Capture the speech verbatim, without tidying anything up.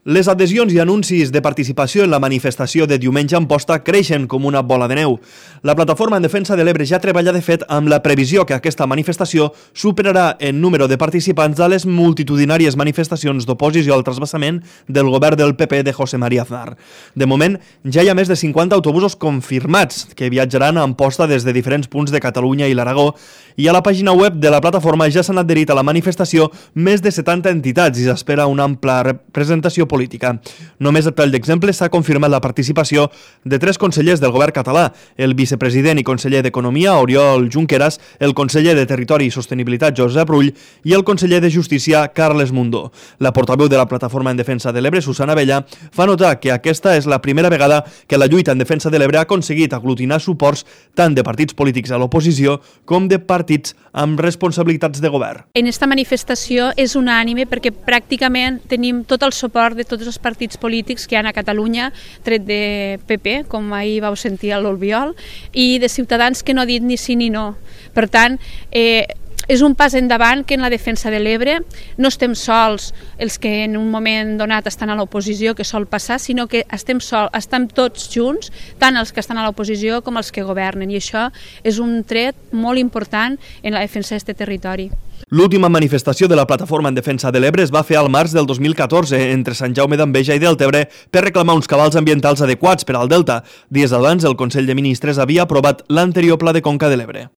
Les adhesions i anuncis de participació en la manifestació de diumenge a Amposta creixen com una bola de neu. La Plataforma en Defensa de l'Ebre ja treballa de fet amb la previsió que aquesta manifestació superarà en número de participants a les multitudinàries manifestacions d'oposició al trasbassament del govern del P P de José María Aznar. De moment, ja hi ha més de cinquanta autobusos confirmats que viatjaran a Amposta des de diferents punts de Catalunya i l'Aragó, i a la pàgina web de la plataforma ja s'han adherit a la manifestació més de setanta entitats i s'espera una ampla representació política. Només a tall d'exemple s'ha confirmat la participació de tres consellers del govern català, el vicepresident i conseller d'Economia, Oriol Junqueras, el conseller de Territori i Sostenibilitat, Josep Rull, i el conseller de Justícia, Carles Mundó. La portaveu de la Plataforma en Defensa de l'Ebre, Susana Abella, fa notar que aquesta és la primera vegada que la lluita en defensa de l'Ebre ha aconseguit aglutinar suports tant de partits polítics a l'oposició com de partits amb responsabilitats de govern. En esta manifestació és unànime perquè pràcticament tenim tot el suport de tots els partits polítics que hi ha a Catalunya, tret de P P, com ahir vau sentir a l'Albiol, i de Ciutadans que no ha dit ni sí ni no. Per tant, eh, és un pas endavant que en la defensa de l'Ebre no estem sols els que en un moment donat estan a l'oposició, que sol passar, sinó que estem, sol, estem tots junts, tant els que estan a l'oposició com els que governen, i això és un tret molt important en la defensa d'aquest territori. L'última manifestació de la Plataforma en Defensa de l'Ebre es va fer al març del dos mil catorze entre Sant Jaume d'Enveja i Deltebre per reclamar uns cabals ambientals adequats per al Delta. Dies abans, el Consell de Ministres havia aprovat l'anterior Pla de Conca de l'Ebre.